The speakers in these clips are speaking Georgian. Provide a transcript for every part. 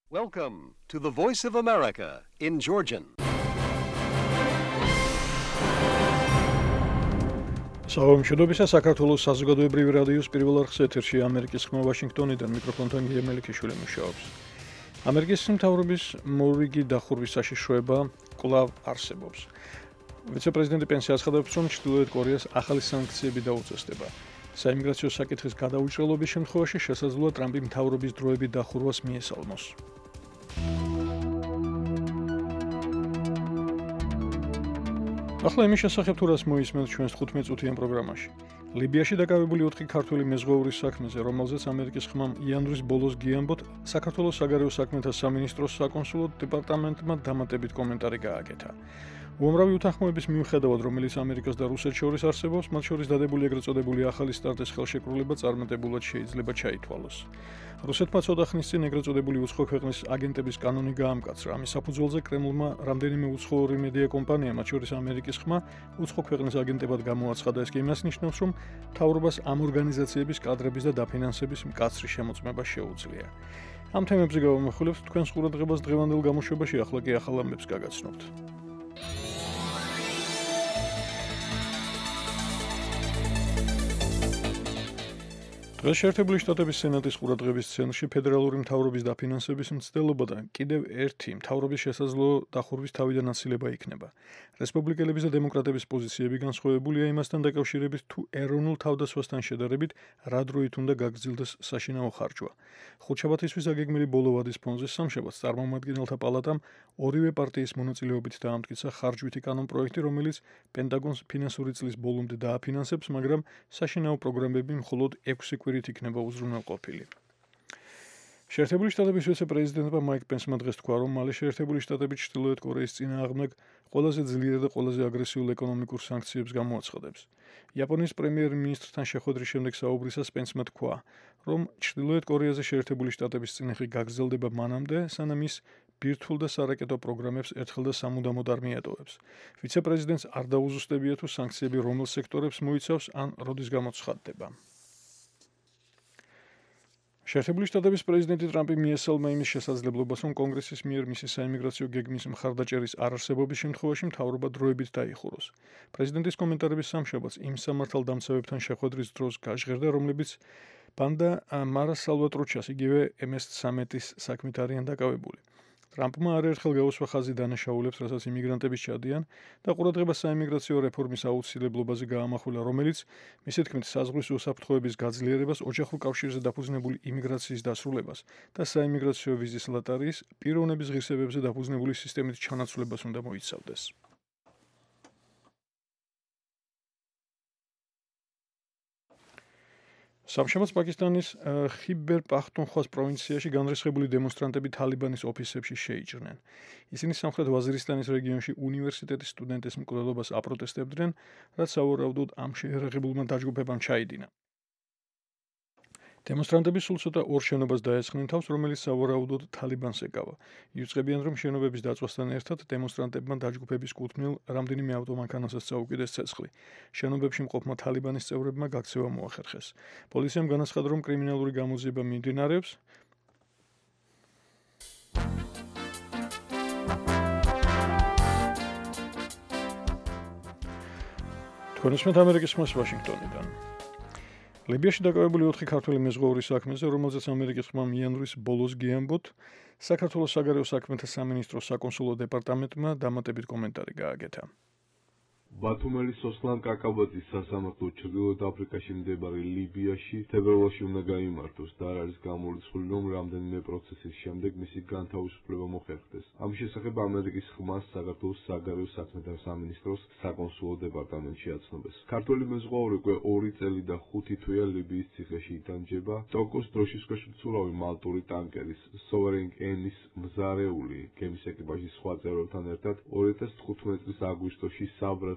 Welcome to the Voice of America in Georgian. Საომშობისა საქართველოს საზოგადოებრივი რადიოს პირველ არხს ეთერში ამერიკის ხმა ვაშინგტონიდან მიკროფონთან გიემელიშვილი მუშაობს. ამერიკის მთავრობის მორიგი დახურვის საშიშროება კვლავ არსებობს. ვიცე-პრეზიდენტი პენსი აცხადებს, რომ ჩრდილოეთ კორეას ახალი სანქციები დაუწესდება. საიმიგრაციო საკითხის გადაუჭრელობის შემთხვევაში შესაძლოა ტრამპი მთავრობის დროებით დახურვას მიესალმოს. ახლა იმის შესახებ თუ რას მოისმენთ ჩვენს 15 წუთიან პროგრამაში. ლიბიაში დაკავებული 4 ქართველი მეზღვაურის საქმეზე, რომელზეც ამერიკის ხმამ იანვრის ბოლოს გიამბოთ, საქართველოს საგარეო საქმეთა სამინისტროს საკონსულო დეპარტამენტმა დამატებით კომენტარი გააკეთა. უამრავი უთანხმოების მიუხედავად, რომელიც ამერიკას და რუსეთს შორის არსებობს, მათ შორის დადებული ეგრეთ წოდებული ახალი სტარტის ხელშეკრულება წარმატებულად შეიძლება ჩაითვალოს. რუსეთმა ცოტა ხნის წინ ეგრეთ წოდებული უცხო ქვეყნის აგენტების კანონი გაამკაცრა. ამის საფუძველზე კრემლმა რამდენიმე უცხოური მედია კომპანია, მათ შორის ამერიკის ხმა, უცხო ქვეყნის აგენტებად გამოაცხადა. ეს კი იმას ნიშნავს, რომ მთავრობას ამ ორგანიზაციების კადრების და დაფინანსების მკაცრი შემოწმება შეუძლია. ამ თემებზე გავამახვილებთ თქვენს ყურადღებას დღევანდელ გამოშვებაში, ახლა კი ახალ ამბებს გაგაცნობთ. დღეს შეერთებული შტატების სენატის ყურადღების ცენტრში ფედერალური მთავრობის დაფინანსების მცდელობა და კიდევ ერთი მთავრობის შესაძლო დახურვის თავიდან აცილება იქნება. რესპუბლიკელების და დემოკრატების პოზიციები განსხვავებულია იმასთან დაკავშირებით, თუ ეროვნულ თავდასხმასთან შედარებით რა დროით უნდა გაგრძელდეს საშინაო ხარჯვა. ხუთშაბათისთვის აგეგმილი ბოლო ვადის ფონზე სამშაბათს წარმომადგენელთა პალატამ ორივე პარტიის მონაწილეობით დაამტკიცა ხარჯვითი კანონპროექტი, რომელიც პენტაგონს ფინანსური წლის ბოლომდე დააფინანსებს, მაგრამ საშინაო პროგრამები მხოლოდ 6 კვირით იქნება უზრუნველყოფილი. შეერთებული შტატების ვიცე-პრეზიდენტმა მაიკ პენსმა დღეს თქვა, რომ მალე შეერთებული შტატები ჩრდილოეთ კორეის წინააღმდეგ ყველაზე ძლიერ და ყველაზე აგრესიულ ეკონომიკურ სანქციებს გამოაცხადებს. იაპონიის პრემიერ-მინისტრთან შეხვედრის შემდეგ საუბრისას პენსმა თქვა, რომ ჩრდილოეთ კორეაზე შეერთებული შტატების წინეხი გაგრძელდება მანამდე, სანამ ის ბირთვულ და სარაკეტო პროგრამებს ერთხელ და სამუდამოდ არ მიატოვებს. ვიცე-პრეზიდენტს არ დაუზუსტებია, თუ სანქციები რომელ სექტორებს მოიცავს ან როდის გამოცხადდება. შეერთებული შტატების პრეზიდენტი ტრამპი მიესალმა იმის შესაძლებლობას, რომ კონგრესის მიერ მისი საიმიგრაციო გეგმის მხარდაჭერის არარსებობის შემთხვევაში მთავრობა დროებით დაიხუროს. პრეზიდენტის კომენტარების სამშაბათს იმ სამართალდამცავებთან შეხვედრის დროს გაჟღერდა, რომლებიც პანდა მარა სალვატრუჩას, იგივე MS-13-ის საქმით არიან დაკავებული. ტრამპმა არაერთხელ გაუსვა ხაზი დანაშაულებს, რასაც იმიგრანტები ჩადიან და ყურადღება საიმიგრაციო რეფორმის აუცილებლობაზე გაამახვილა, რომელიც მისი თქმით საზღვრის უსაფრთხოების გაძლიერებას, ოჯახურ კავშირზე დაფუძნებული იმიგრაციის დასრულებას და საიმიგრაციო ვიზის ლოტარიის პიროვნების ღირსებებზე დაფუძნებული სისტემის ჩანაცვლებას უნდა მოიცავდეს. სამშაბათს პაკისტანის ხიბერ პახტუნხვას პროვინციაში განრისხებული დემონსტრანტები თალიბანის ოფისებში შეიჭრნენ. ისინი სამხრეთ ვაზირისტანის რეგიონში უნივერსიტეტის სტუდენტის მკვლელობას აპროტესტებდნენ, რაც სავარაუდოდ ამ შეერაღებულმა დაჯგუფებამ ჩაიდინა. დემონსტრანტები სულ ცოტა ორ შენობას დაესხნენ თავს, რომელიც სავარაუდოდ თალიბანს ეკავა. იუწყებიან, რომ შენობების დაწვასთან ერთად დემონსტრანტებმა დაჯგუფების კუთვნილ რამდენიმე ავტომანქანასაც წაუკიდეს ცეცხლი. შენობებში მყოფმა თალიბანის წევრებმა გაქცევა მოახერხეს. პოლიციამ განაცხადა, რომ კრიმინალური გამოძიება მიმდინარეობს. თქვენ უსმენთ ამერიკის ხმას ვაშინგტონიდან. ლიბიაში დაკავებული 4 ქართველი მეზღვაურის საქმეზე, რომელზეც ამერიკის ხმამ იანვრის ბოლოს გიამბოთ, საქართველოს საგარეო საქმეთა სამინისტროს საკონსულო დეპარტამენტმა დამატებით კომენტარი გააკეთა. ბათუმელის სოსლან კაკაბაძის სასამართლო ჩრდილოეთ აფრიკაში მდებარე ლიბიაში თებერვალში უნდა გაიმართოს და არ არის გამორიცხული, რომ რამდენიმე პროცესის შემდეგ მისი განთავისუფლება მოხერხდეს. ამის შესახებ ამერიკის ხმას საქართველოს საგარეო საქმეთა სამინისტროს საკონსულო დეპარტამენტში აცნობეს. ქართველი მეზღვაური უკვე 2 წელი და 5 თვეა ლიბიის ციხეში იტანჯება. ტოკოს დროშის ქვეშ მცურავი მალტური ტანკერის Sovereign N-ის მზარეული გემის ეკიპაჟის სხვა წევრებთან ერთად 2015 წლის აგვისტოში საბრად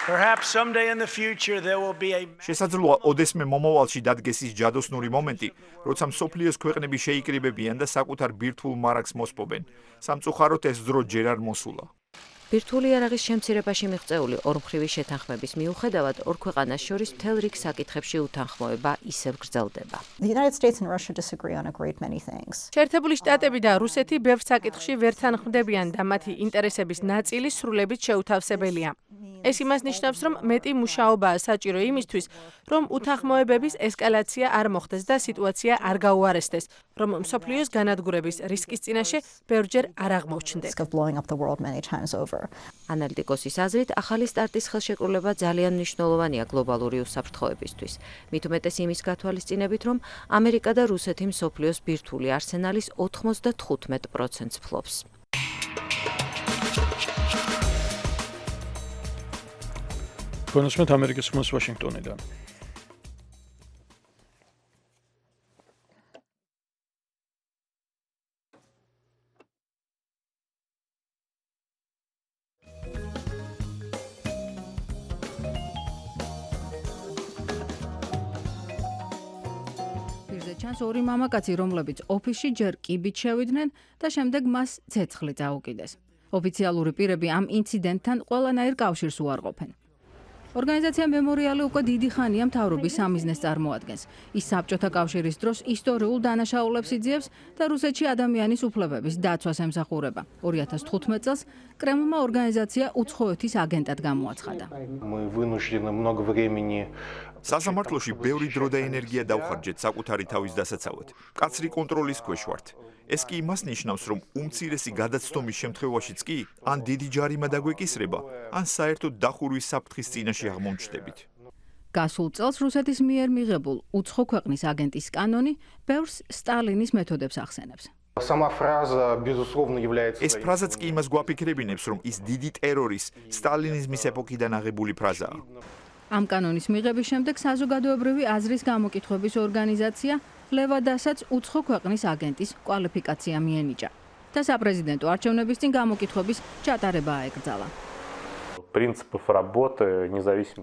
Perhaps someday in the future there will be a შესაძლოა ოდესმე მომავალში დადგეს ის ჯადოსნური მომენტი, როცა მსოფლიოს ქვეყნები შეიკრიბებიან და საკუთარ ბირთვულ მარაგს მოსპობენ. სამწუხაროდ ეს დრო ჯერ არ მოსულა. ბირთვული იარაღის შემცირებაში მიღწეული ორმხრივი შეთანხმების მიუხედავად ორ ქვეყანას შორის მთელ რიგ საკითხებში უთანხმოება ისევ გრძელდება. შეერთებული შტატები და რუსეთი ბევრ საკითხში ვერ თანხმდებიან და მათი ინტერესების ნაწილი სრულებით შეუთავსებელია. ეს იმას ნიშნავს, რომ მეტი მუშაობაა საჭირო იმისთვის, რომ უთანხმოებების ესკალაცია არ მოხდეს და სიტუაცია არ გაუარესდეს, რომ მსოფლიოს განადგურების რისკის წინაშე ბევრჯერ არ აღმოჩნდეს. ანალიტიკოსის აზრით, ახალი სტარტის ხელშეკრულება ძალიან მნიშვნელოვანია გლობალური უსაფრთხოებისთვის. მით უმეტეს იმის გათვალისწინებით, რომ ამერიკა და რუსეთი მსოფლიოს ბირთვული არსენალის 95%-ს ფლობს. კონსმეთ ამერიკის ხმას ვაშინგტონიდან. ჩანს ორი მამაკაცი, რომლებიც ოფისში ჯერ კიბით შევიდნენ და შემდეგ მას ცეცხლი წაუკიდეს. ოფიციალური პირები ამ ინციდენტთან ყველანაირ კავშირს უარყოფენ. ორგანიზაცია მემორიალი უკვე დიდი ხანია მთავრობის სამიზნეს წარმოადგენს. ის საბჭოთა კავშირის დროს ისტორიულ დანაშაულებს იძიებს და რუსეთში ადამიანის უფლებების დაცვას ემსახურება. 2015 წელს კრემლმა ორგანიზაცია უცხოეთის აგენტად გამოაცხადა. სასამართლოში ბევრი დრო და ენერგია დავხარჯეთ საკუთარი თავის დასაცავად. კაცრი კონტროლის ქვეშ ვართ. ეს კი იმას ნიშნავს, რომ უმცირესი გადაცდომის შემთხვევაშიც კი ან დიდი ჯარიმა დაგვეკისრება, ან საერთოდ დახურვის საფრთხის წინაშე აღმომჩნდებით. გასულ წელს რუსეთის მიერ მიღებულ უცხო ქვეყნის აგენტის კანონი ბევრს სტალინის მეთოდებს ახსენებს. ეს ფრაზაც კი იმას გვაფიქრებინებს, რომ ის დიდი ტერორის სტალინიზმის ეპოქიდან აღებული ფრაზაა. ამ კანონის მიღების შემდეგ საზოგადოებრივი აზრის გამოკითხვების ორგანიზაცია ლევადასაც უცხო ქვეყნის აგენტის კვალიფიკაცია მიენიჭა და საპრეზიდენტო არჩევნების წინ გამოკითხვების ჩატარება აეკრძალა.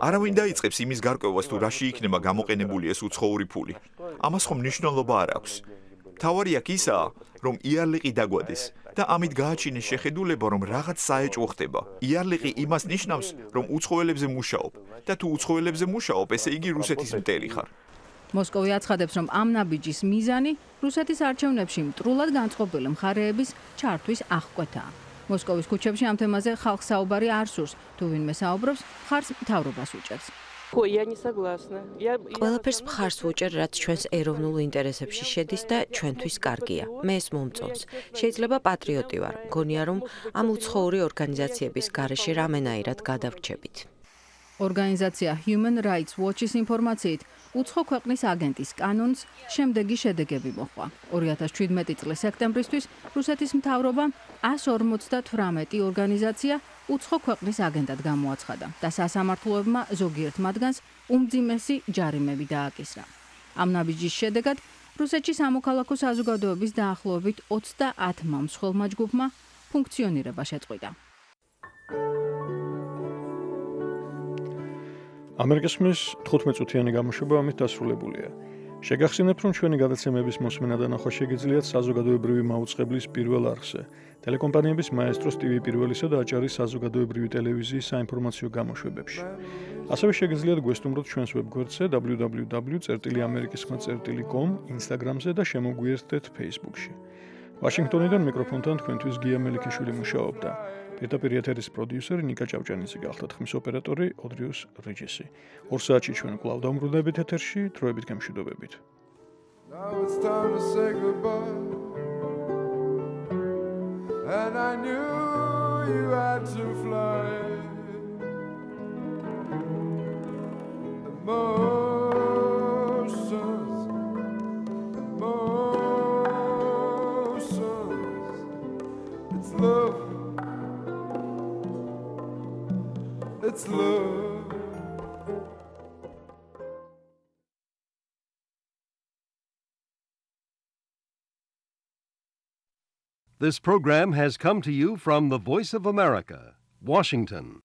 არავინ დაიწყებს იმის გარკვევას, თუ რაში იქნება გამოყენებული ეს უცხოური ფული. ამას ხომ მნიშვნელობა არ აქვს. მთავარი აქ ისაა, რომ იარლიყი დაგვადეს და ამით გააჩინეს შეხედულება, რომ რაღაც საეჭვო ხდება. იარლიყი იმას ნიშნავს, რომ უცხოელებზე მუშაობ და თუ უცხოელებზე მუშაობ, ესე იგი რუსეთის მტერი ხარ. მოსკოვი აცხადებს, რომ ამ ნაბიჯის მიზანი რუსეთის არჩევნებში მტრულად განწყობილი მხარეების ჩართვის აღკვეთაა. მოსკოვის ქუჩებში ამ თემაზე ხალხს საუბარი არ სურს, თუ ვინმე საუბრობს, მხარს მთავრობას უჭერს. ყველაფერს მხარს ვუჭერ, რაც ჩვენს ეროვნულ ინტერესებში შედის და ჩვენთვის კარგია. მე ეს მომწონს. შეიძლება პატრიოტი ვარ. მგონია, რომ ამ უცხოური ორგანიზაციების გარეშე რამენაირად გადავრჩებით. ორგანიზაცია Human Rights Watch-ის ინფორმაციით, უცხო ქვეყნის აგენტის კანონს შემდეგი შედეგები მოჰყვა. 2017 წლის სექტემბრისთვის რუსეთის მთავრობამ 158 ორგანიზაცია უცხო ქვეყნის აგენტად გამოაცხადა და სასამართლოებმა ზოგიერთ მათგანს უმძიმესი ჯარიმები დააკისრა. ამ ნაბიჯის შედეგად რუსეთში სამოქალაქო საზოგადოების დაახლოებით 30 მსხვილმა ჯგუფმა ფუნქციონირება შეწყვიტა. ამერიკის ხმის 15-წუთიანი გამოშვება ამით დასრულებულია. შეგახსენებთ, რომ ჩვენი გადაცემების მოსმენა და ნახვა შეგიძლიათ საზოგადოებრივი მაუწყებლის პირველ არხზე, ტელეკომპანიების მაესტროს TV პირველისა და აჭარის საზოგადოებრივი ტელევიზიის საინფორმაციო გამოშვებებში. ასევე შეგიძლიათ გვესტუმროთ ჩვენს ვებგვერდზე www.amerikiskhma.com, Instagram-ზე და შემოგვიერთდეთ Facebook-ში. ვაშინგტონიდან მიკროფონთან თქვენთვის გია მელიქიშვილი მუშაობდა. პირდაპირ ეთერის პროდიუსერი ნიკა ჭავჭანიძე გახლდათ, ხმის ოპერატორი ოდრიუს რიჯესი. 2 საათში ჩვენ კვლავ დავმბრუნდებით ეთერში, დროებით გემშვიდობებით. Now it's time to say goodbye. And I knew you had to fly. It's love. It's love. This program has come to you from the Voice of America, Washington.